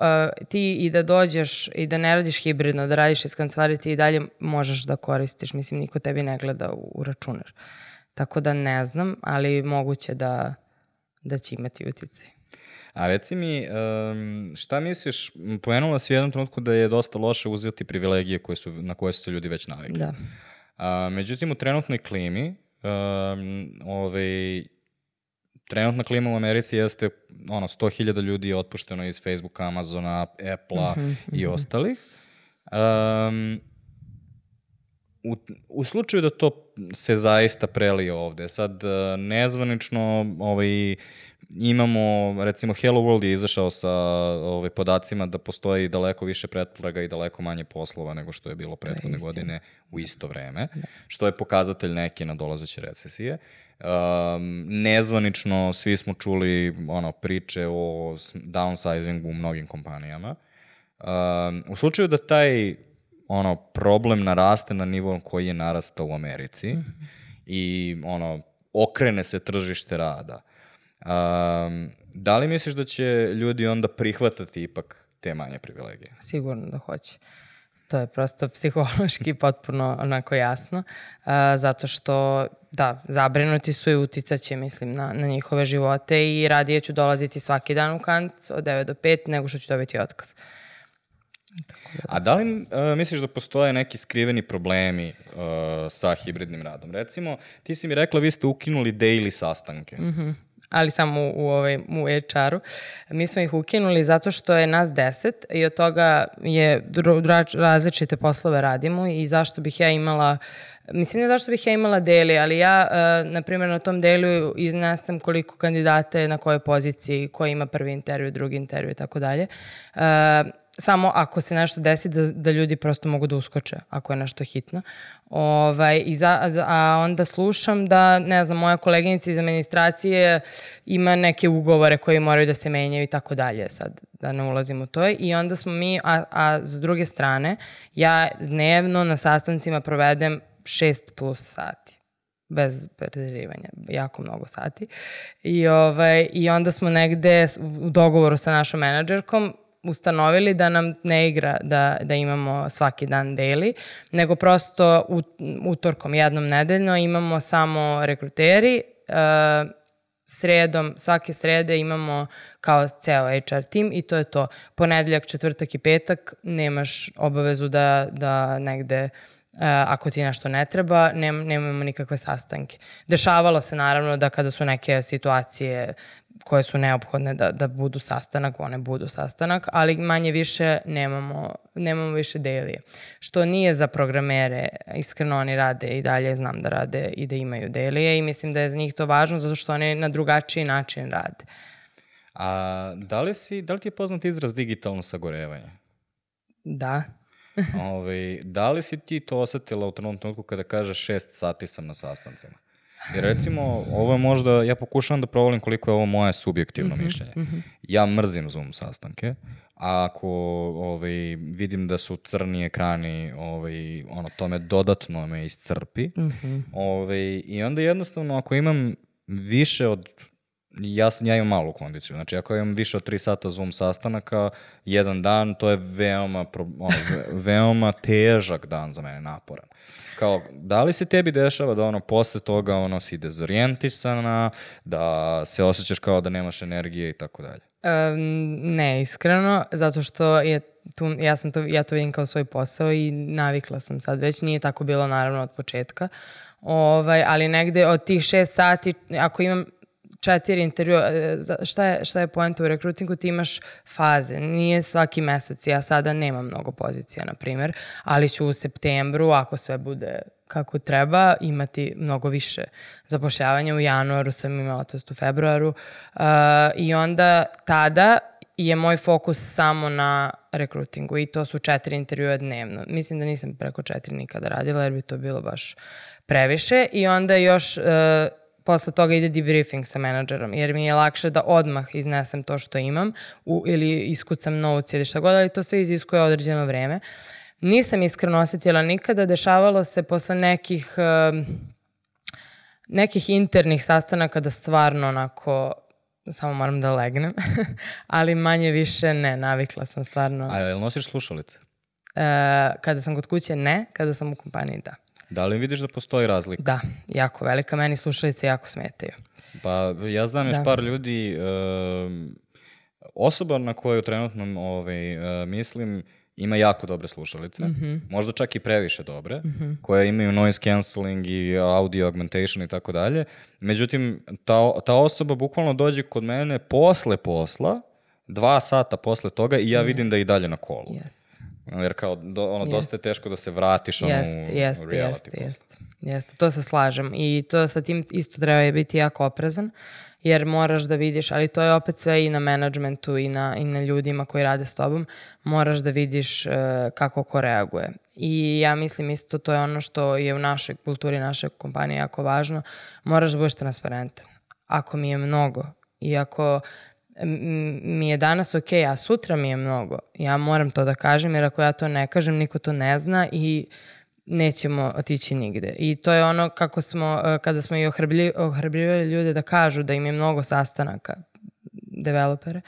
ti i da dođeš i da ne radiš hibridno, da radiš iz kancelarije, ti i dalje možeš da koristiš, mislim, niko tebi ne gleda u računar. Tako da ne znam, ali moguće da će imati uticaj. A reci mi, šta misliš, pomenula si u jednom trenutku da je dosta loše uzeti privilegije na koje su se ljudi već navikli. Da. Međutim, u trenutnoj klimi, trenutna klima u Americi jeste 100.000 ljudi je otpušteno iz Facebooka, Amazona, Apple-a i ostalih. U slučaju da to se zaista prelije ovde, sad nezvanično imamo, recimo Hello World je izašao sa podacima da postoji daleko više pretplaga i daleko manje poslova nego što je bilo prethodne godine u isto vreme, što je pokazatelj neke nadolazeće recesije. Nezvanično svi smo čuli priče o downsizingu u mnogim kompanijama. U slučaju da taj problem naraste na nivo koji je narastao u Americi i okrene se tržište rada, da li misliš da će ljudi onda prihvatati ipak te manje privilegije? Sigurno da hoće. To je prosto psihološki potpuno onako jasno, zato što, da, zabrinuti su i uticaće, mislim, na njihove živote i radije ću dolaziti svaki dan u Kant od 9 do 5 nego što ću dobiti otkaz. A da li misliš da postoje neki skriveni problemi sa hibridnim radom? Recimo, ti si mi rekla, vi ste ukinuli daily sastanke. Ali samo u HR-u. Mi smo ih ukinuli zato što je nas 10 i od toga je različite poslove radimo i zašto bih ja imala, mislim ne zašto bih ja imala daily, ali ja, na primjer, na tom dailu iznesem koliko kandidata je na kojoj poziciji, ko ima prvi intervju, drugi intervju i tako dalje. Samo ako se nešto desi da ljudi prosto mogu da uskoče ako je nešto hitno. A onda slušam da, ne znam, moja koleginica iz administracije ima neke ugovore koji moraju da se menjaju i tako dalje, sad da ne ulazim u to. I onda smo mi, a s druge strane, ja dnevno na sastancima provedem 6+ sati. Bez preterivanja, jako mnogo sati. I onda smo negde u dogovoru sa našom menadžerkom ustanovili da nam ne igra da imamo svaki dan daily, nego prosto utorkom jednom nedeljno imamo samo rekruteri, sredom, svake srede imamo kao ceo HR tim i to je to. Ponedeljak, četvrtak i petak nemaš obavezu da negde ako ti nešto ne treba, nemamo nikakve sastanke. Dešavalo se naravno da kada su neke situacije koje su neophodne da budu sastanak, one budu sastanak, ali manje više nemamo više daily. Što nije za programere, iskreno oni rade i dalje, znam da rade i da imaju daily i mislim da je za njih to važno zato što oni na drugačiji način rade. A da li ti je poznat izraz digitalno sagorevanje? Da. Da li si ti to osetila u trenutku kada kažeš 6 sati sam na sastancima? Jer recimo, ovo je možda, ja pokušavam da provalim koliko je ovo moje subjektivno mišljenje. Ja mrzim Zoom sastanke, a ako vidim da su crni ekrani, to me dodatno me iscrpi. I onda jednostavno, ako imam više od, ja imam malu kondiciju, znači ako imam više od 3 sata Zoom sastanaka, jedan dan, to je veoma težak dan za mene, naporan. Kao, da li se tebi dešava da posle toga si dezorijentisana, da se osjećaš kao da nemaš energije i tako dalje? Ne, iskreno, zato što je ja to vidim kao svoj posao i navikla sam sad već, nije tako bilo naravno od početka, ali negde od tih 6 sati, ako imam 4 intervjua. Šta je poenta u rekrutingu? Ti imaš faze. Nije svaki mesec. Ja sada nemam mnogo pozicija, na primjer, ali ću u septembru, ako sve bude kako treba, imati mnogo više zapošljavanja. U januaru sam imala, to jest u februaru. I onda tada je moj fokus samo na rekrutingu i to su 4 intervjua dnevno. Mislim da nisam preko 4 nikada radila jer bi to bilo baš previše i onda još posle toga ide debriefing sa menadžerom jer mi je lakše da odmah iznesem to što imam ili iskucam notes ili šta god, ali to sve iziskuje određeno vreme. Nisam iskreno osjetila nikada, dešavalo se posle nekih internih sastanaka da stvarno onako samo moram da legnem, ali manje više ne, navikla sam stvarno. A jel nosiš slušalice? Kada sam kod kuće ne, kada sam u kompaniji da. Da li vidiš da postoji razlika? Da, jako velika, meni slušalice jako smetaju. Pa ja znam još par ljudi, osoba na koju trenutno mislim, ima jako dobre slušalice, možda čak i previše dobre, koje imaju noise cancelling i audio augmentation i tako dalje. Međutim, ta osoba bukvalno dođe kod mene posle posla, 2 sata posle toga i ja vidim da je i dalje na kolu. Yes. Jer kao, dosta je teško da se vratiš u reality. Jeste, to se slažem. I to sa tim isto treba biti jako oprezan, jer moraš da vidiš, ali to je opet sve i na menadžmentu i na ljudima koji rade s tobom, moraš da vidiš kako ko reaguje. I ja mislim isto to je ono što je u našoj kulturi, naše kompanije jako važno, moraš da budeš transparentan. Ako mi je mnogo i ako mi je danas ok, a sutra mi je mnogo, ja moram to da kažem, jer ako ja to ne kažem, niko to ne zna i nećemo otići nigde. I to je ono kako smo, kada smo i ohrabrivali ljude da kažu da im je mnogo sastanaka, developere,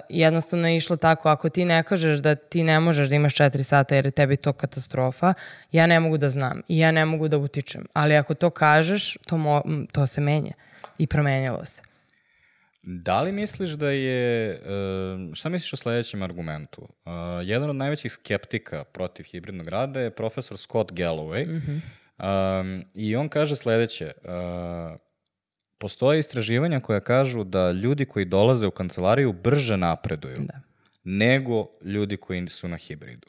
jednostavno je išlo tako, ako ti ne kažeš da ti ne možeš da imaš 4 sata jer je tebi to katastrofa, ja ne mogu da znam i ja ne mogu da utičem. Ali ako to kažeš, to se menja i promenjalo se. Da li misliš da je, šta misliš o sledećem argumentu? Jedan od najvećih skeptika protiv hibridnog rada je profesor Scott Galloway i on kaže sledeće, postoje istraživanja koja kažu da ljudi koji dolaze u kancelariju brže napreduju nego ljudi koji su na hibridu.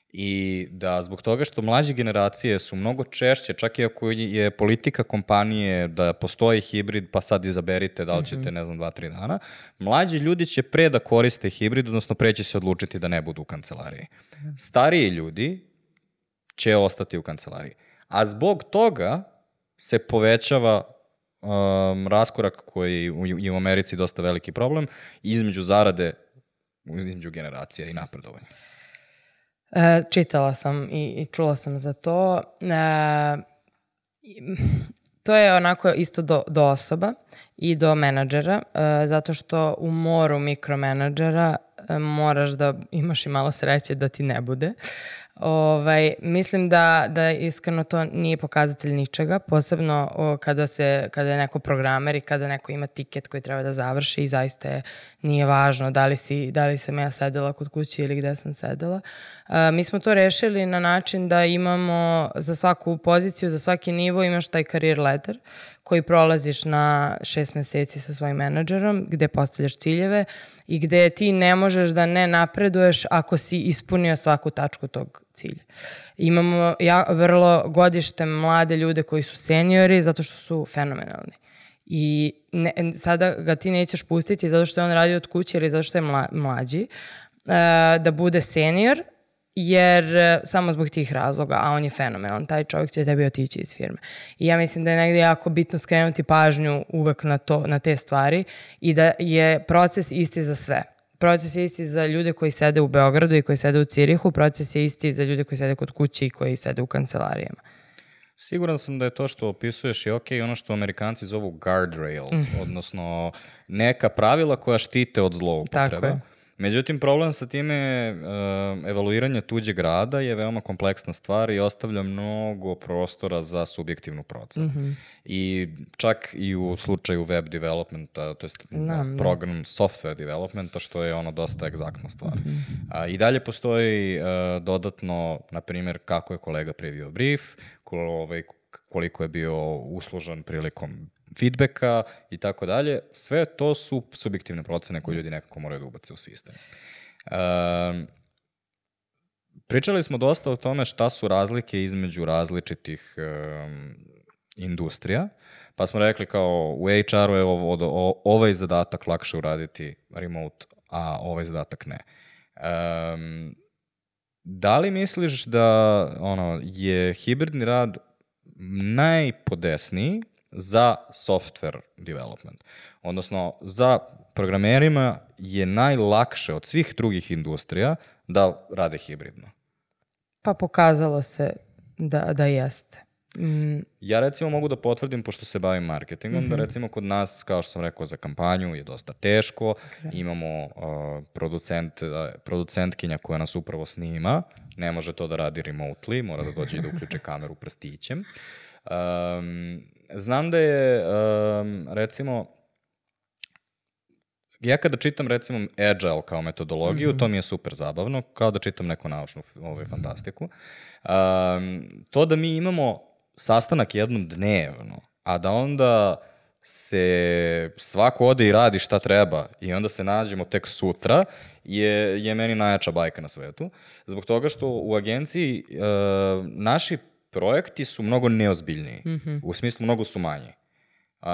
I da zbog toga što mlađe generacije su mnogo češće, čak i ako je politika kompanije da postoji hibrid, pa sad izaberite da li ćete, 2-3 dana, mlađi ljudi će pre da koriste hibrid, odnosno pre će se odlučiti da ne budu u kancelariji. Stariji ljudi će ostati u kancelariji. A zbog toga se povećava raskorak koji je u Americi dosta veliki problem između zarade, između generacija i napredovanja. Čitala sam i čula sam za to. To je onako isto do osoba i do menadžera, zato što u moru mikromenadžera moraš da imaš i malo sreće da ti ne bude. Mislim da iskreno to nije pokazatelj ničega, posebno kada je neko programer i kada neko ima tiket koji treba da završi i zaista nije važno da li sam ja sedela kod kuće ili gde sam sedela. Mi smo to rešili na način da imamo za svaku poziciju, za svaki nivo imaš taj career ladder koji prolaziš na 6 meseci sa svojim menadžerom, gde postavljaš ciljeve i gde ti ne možeš da ne napreduješ ako si ispunio svaku tačku tog cilja. Imamo vrlo godište mlade ljude koji su seniori zato što su fenomenalni. I sada ga ti nećeš pustiti zato što je on radi od kuće ili zato što je mlađi, da bude senior, jer samo zbog tih razloga, a on je fenomenalan, taj čovjek će tebi otići iz firme. I ja mislim da je negdje jako bitno skrenuti pažnju uvek na te stvari i da je proces isti za sve. Proces je isti za ljude koji sede u Beogradu i koji sede u Cirihu, proces je isti za ljude koji sede kod kuće i koji sede u kancelarijama. Siguran sam da je to što opisuješ i ono što Amerikanci zovu guardrails, odnosno neka pravila koja štite od zloupotreba. Tako je. Međutim, problem sa time evaluiranje tuđeg rada je veoma kompleksna stvar i ostavlja mnogo prostora za subjektivnu procenu. I čak i u slučaju web developmenta, to jest program software developmenta, što je dosta egzaktna stvar. I dalje postoji dodatno, na primjer, kako je kolega previo brief, koliko je bio uslužan prilikom feedbacka i tako dalje. Sve to su subjektivne procene koje ljudi nekako moraju da ubace u sistem. Pričali smo dosta o tome šta su razlike između različitih industrija, pa smo rekli kao u HR-u je ovaj zadatak lakše uraditi remote, a ovaj zadatak ne. Da li misliš da je hibridni rad najpodesniji za software development? Odnosno, za programerima je najlakše od svih drugih industrija da rade hibridno? Pa pokazalo se da jeste. Ja recimo mogu da potvrdim, pošto se bavim marketingom, da recimo kod nas, kao što sam rekao, za kampanju je dosta teško. Imamo producentkinja koja nas upravo snima, ne može to da radi remotely, mora da dođe i da uključe kameru prstićem. Znam da je, recimo, ja kada čitam recimo Agile kao metodologiju, to mi je super zabavno, kao da čitam neku naučnu fantastiku. To da mi imamo sastanak jednom dnevno, a da onda se svako ode i radi šta treba i onda se nađemo tek sutra, je meni najjača bajka na svetu. Zbog toga što u agenciji naši projekti su mnogo neozbiljniji, u smislu mnogo su manji.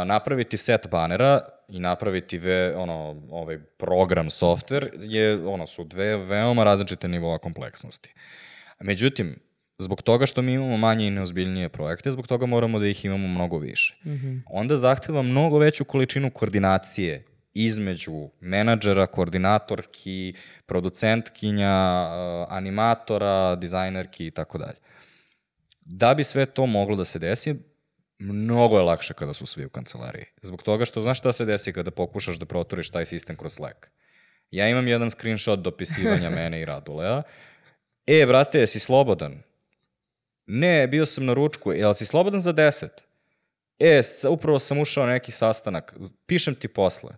Napraviti set banera i napraviti ovaj program, software, su dve veoma različite nivoa kompleksnosti. Međutim, zbog toga što mi imamo manje i neozbiljnije projekte, zbog toga moramo da ih imamo mnogo više. Onda zahteva mnogo veću količinu koordinacije između menadžera, koordinatorki, producentkinja, animatora, dizajnerki i tako dalje. Da bi sve to moglo da se desi, mnogo je lakše kada su svi u kancelariji. Zbog toga što znaš šta se desi kada pokušaš da proturiš taj sistem kroz Slack. Ja imam jedan screenshot dopisivanja mene i Radulea. Brate, jesi slobodan? Ne, bio sam na ručku. Jel si slobodan za 10? Upravo sam ušao na neki sastanak. Pišem ti posle.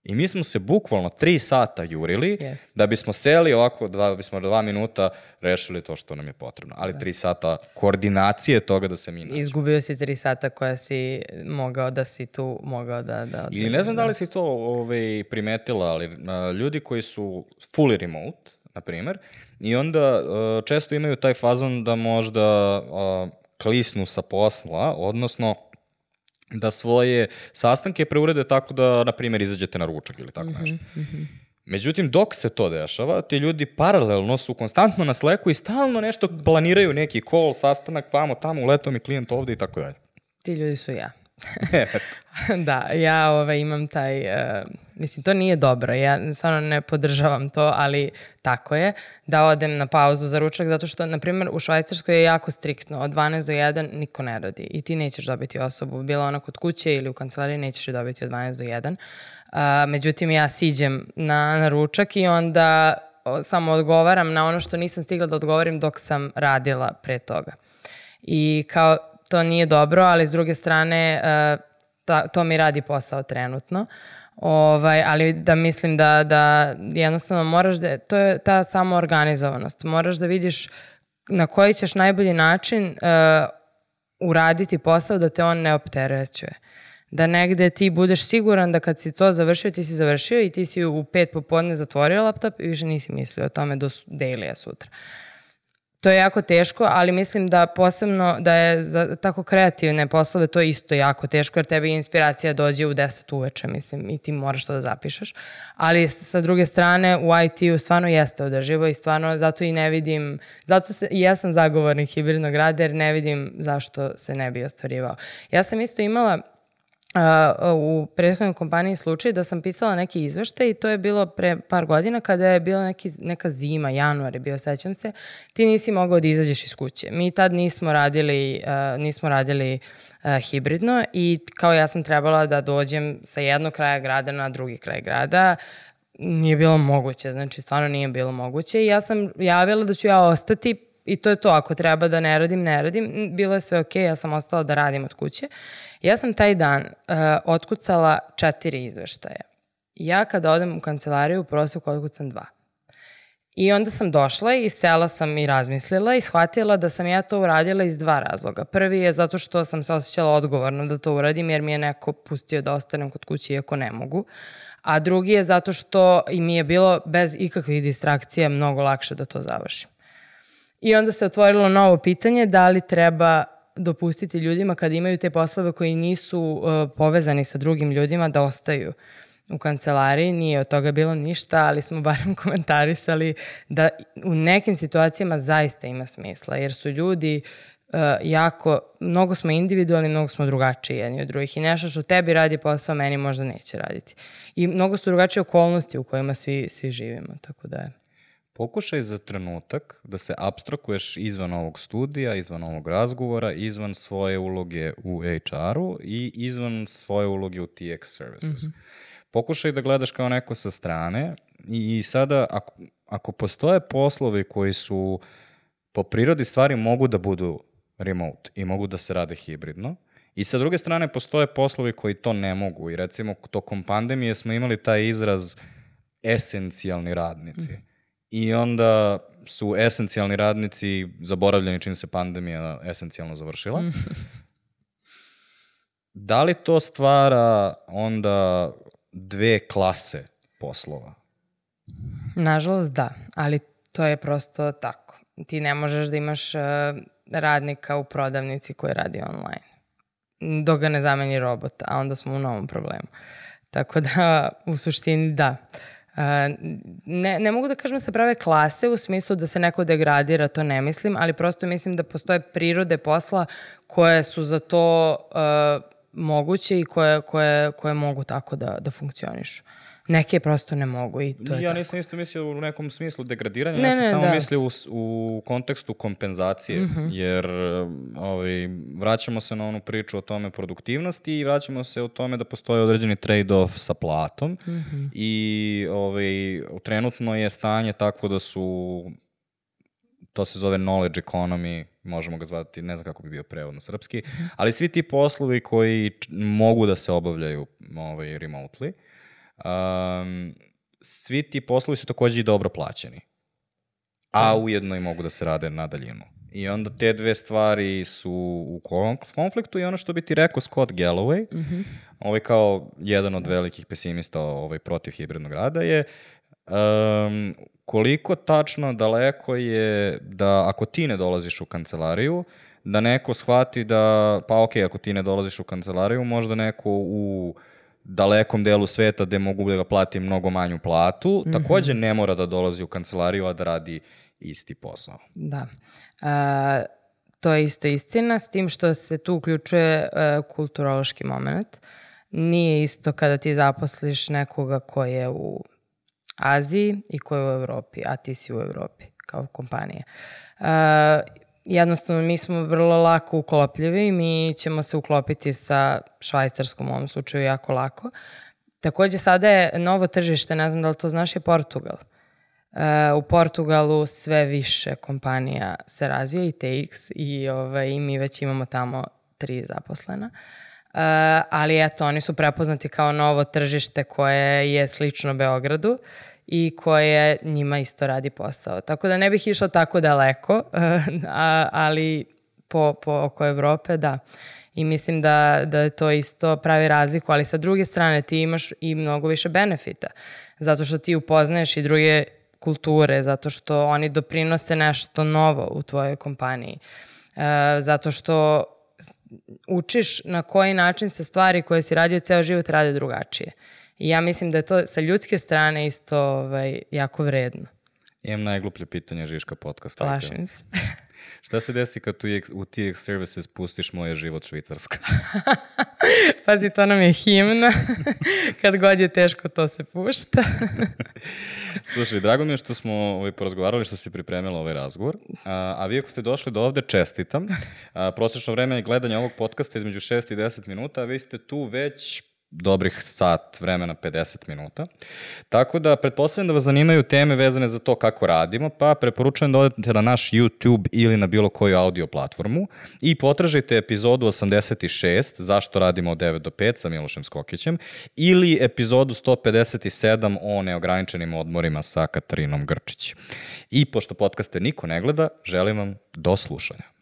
I mi smo se bukvalno 3 sata jurili da bismo seli ovako, da bismo 2 minuta rešili to što nam je potrebno. Ali 3 sata koordinacije toga da se mi nađemo. Izgubio si 3 sata koja si mogao da si tu, mogao da... Ili ne znam da li si to primetila, ali ljudi koji su fully remote, na primer, i onda često imaju taj fazon da možda klisnu sa posla, odnosno da svoje sastanke preurede tako da, na primjer, izađete na ručak ili tako nešto. Međutim, dok se to dešava, ti ljudi paralelno su konstantno na Slacku i stalno nešto planiraju, neki call, sastanak, vamo, tamo, uletao mi klijent ovde i tako dalje. Ti ljudi su ja. Da, ja imam taj, mislim, to nije dobro, ja stvarno ne podržavam to, ali tako je, da odem na pauzu za ručak, zato što, na primjer, u Švajcarskoj je jako striktno, od 12 do 1 niko ne radi i ti nećeš dobiti osobu, bila ona kod kuće ili u kancelariji, nećeš je dobiti od 12 do 1. Međutim, ja siđem na ručak i onda samo odgovaram na ono što nisam stigla da odgovorim dok sam radila pre toga. I kao, to nije dobro, ali s druge strane to mi radi posao trenutno. Ali da mislim da jednostavno moraš da, to je ta samoorganizovanost. Moraš da vidiš na koji ćeš najbolji način uraditi posao da te on ne opterećuje. Da negde ti budeš siguran da kad si to završio, ti si završio i ti si u 5 popodne zatvorio laptop i više nisi mislio o tome do dailya sutra. To je jako teško, ali mislim da posebno da je za tako kreativne poslove to isto jako teško, jer tebi inspiracija dođe u 10 uveče, mislim, i ti moraš to da zapišeš. Ali sa druge strane, u IT-u stvarno jeste održivo i stvarno zato i ne vidim, i ja sam zagovornik hibridnog rada jer ne vidim zašto se ne bi ostvarivao. Ja sam isto imala u prethodnoj kompaniji slučaj da sam pisala neki izveštaj i to je bilo pre par godina kada je bila neka zima, januar je bio, sećam se, ti nisi mogao da izađeš iz kuće. Mi tad nismo radili hibridno i kao ja sam trebala da dođem sa jednog kraja grada na drugi kraj grada. Nije bilo moguće, znači stvarno nije bilo moguće i ja sam javila da ću ja ostati i to je to, ako treba da ne radim. Bilo je sve okej, ja sam ostala da radim od kuće. Ja sam taj dan otkucala 4 izveštaja. Ja kada odem u kancelariju u proseku otkucam 2. I onda sam došla i sela sam i razmislila i shvatila da sam ja to uradila iz 2 razloga. Prvi je zato što sam se osjećala odgovorno da to uradim jer mi je neko pustio da ostanem kod kuće iako ne mogu. A drugi je zato što i mi je bilo bez ikakvih distrakcija mnogo lakše da to završim. I onda se otvorilo novo pitanje da li treba dopustiti ljudima kada imaju te poslove koji nisu povezani sa drugim ljudima da ostaju u kancelariji. Nije od toga bilo ništa, ali smo barem komentarisali da u nekim situacijama zaista ima smisla, jer su ljudi mnogo smo individualni, mnogo smo drugačiji jedni od drugih i nešto što tebi radi posao, meni možda neće raditi. I mnogo su drugačije okolnosti u kojima svi živimo, tako da je. Pokušaj za trenutak da se apstrakuješ izvan ovog studija, izvan ovog razgovora, izvan svoje uloge u HR-u i izvan svoje uloge u TX Services. Pokušaj da gledaš kao neko sa strane i sada ako postoje poslovi koji su po prirodi stvari mogu da budu remote i mogu da se rade hibridno i sa druge strane postoje poslovi koji to ne mogu i recimo tokom pandemije smo imali taj izraz esencijalni radnici. I onda su esencijalni radnici zaboravljeni čim se pandemija esencijalno završila. Da li to stvara onda 2 klase poslova? Nažalost da, ali to je prosto tako. Ti ne možeš da imaš radnika u prodavnici koji radi online. Dok ga ne zameni robot, a onda smo u novom problemu. Tako da, u suštini da. Ne mogu da kažem da se prave klase u smislu da se neko degradira, to ne mislim, ali prosto mislim da postoje prirode posla koje su za to moguće i koje mogu tako da funkcionišu. Neke prosto ne mogu i to je ja tako. Nisam isto mislio u nekom smislu degradiranja, ja sam samo mislio u kontekstu kompenzacije, jer vraćamo se na onu priču o tome produktivnosti i vraćamo se o tome da postoji određeni trade-off sa platom i trenutno je stanje takvo da su, to se zove knowledge economy, možemo ga zvati, ne znam kako bi bio prevod na srpski, ali svi ti poslovi koji mogu da se obavljaju remotely, svi ti poslovi su takođe i dobro plaćeni, a ujedno i mogu da se rade na daljinu. I onda te 2 stvari su u konfliktu i ono što bi ti rekao Scott Galloway, kao jedan od velikih pesimista protiv hibridnog rada je koliko tačno daleko je da ako ti ne dolaziš u kancelariju, da neko shvati da, pa okej, ako ti ne dolaziš u kancelariju, možda neko u dalekom delu sveta gde mogu da ga plati mnogo manju platu, takođe ne mora da dolazi u kancelariju, a da radi isti posao. Da. To je isto istina, s tim što se tu uključuje kulturološki moment. Nije isto kada ti zaposliš nekoga ko je u Aziji i ko je u Evropi, a ti si u Evropi kao kompanija. Jednostavno, mi smo vrlo lako uklopljivi, mi ćemo se uklopiti sa Švajcarskom u ovom slučaju jako lako. Takođe, sada je novo tržište, ne znam da li to znaš, je Portugal. U Portugalu sve više kompanija se razvija i TX i mi već imamo tamo 3 zaposlena. Ali eto, oni su prepoznati kao novo tržište koje je slično Beogradu i koje njima isto radi posao. Tako da ne bih išla tako daleko, ali po oko Evrope, da. I mislim da je to isto pravi razliku, ali sa druge strane ti imaš i mnogo više benefita, zato što ti upoznaješ i druge kulture, zato što oni doprinose nešto novo u tvojoj kompaniji, zato što učiš na koji način se stvari koje si radio ceo život rade drugačije. I ja mislim da je to sa ljudske strane isto jako vredno. Imam najgluplje pitanje Žiška podcasta. Plašim se. Šta se desi kad u TX Services pustiš Moj je život Švicarska? Pazi, to nam je himna. Kad god je teško, to se pušta. Slušaj, drago mi je što smo porazgovarali, što si pripremila ovaj razgovor. A vi ako ste došli do ovde, čestitam. Prosečno vreme gledanja ovog podcasta između 6 i 10 minuta, a vi ste tu već dobrih sat vremena, 50 minuta. Tako da, pretpostavljam da vas zanimaju teme vezane za to kako radimo, pa preporučujem da odete na naš YouTube ili na bilo koju audio platformu i potražite epizodu 86, zašto radimo od 9 do 5 sa Milošem Skokićem, ili epizodu 157 o neograničenim odmorima sa Katarinom Grčić. I pošto podcaste niko ne gleda, želim vam do slušanja.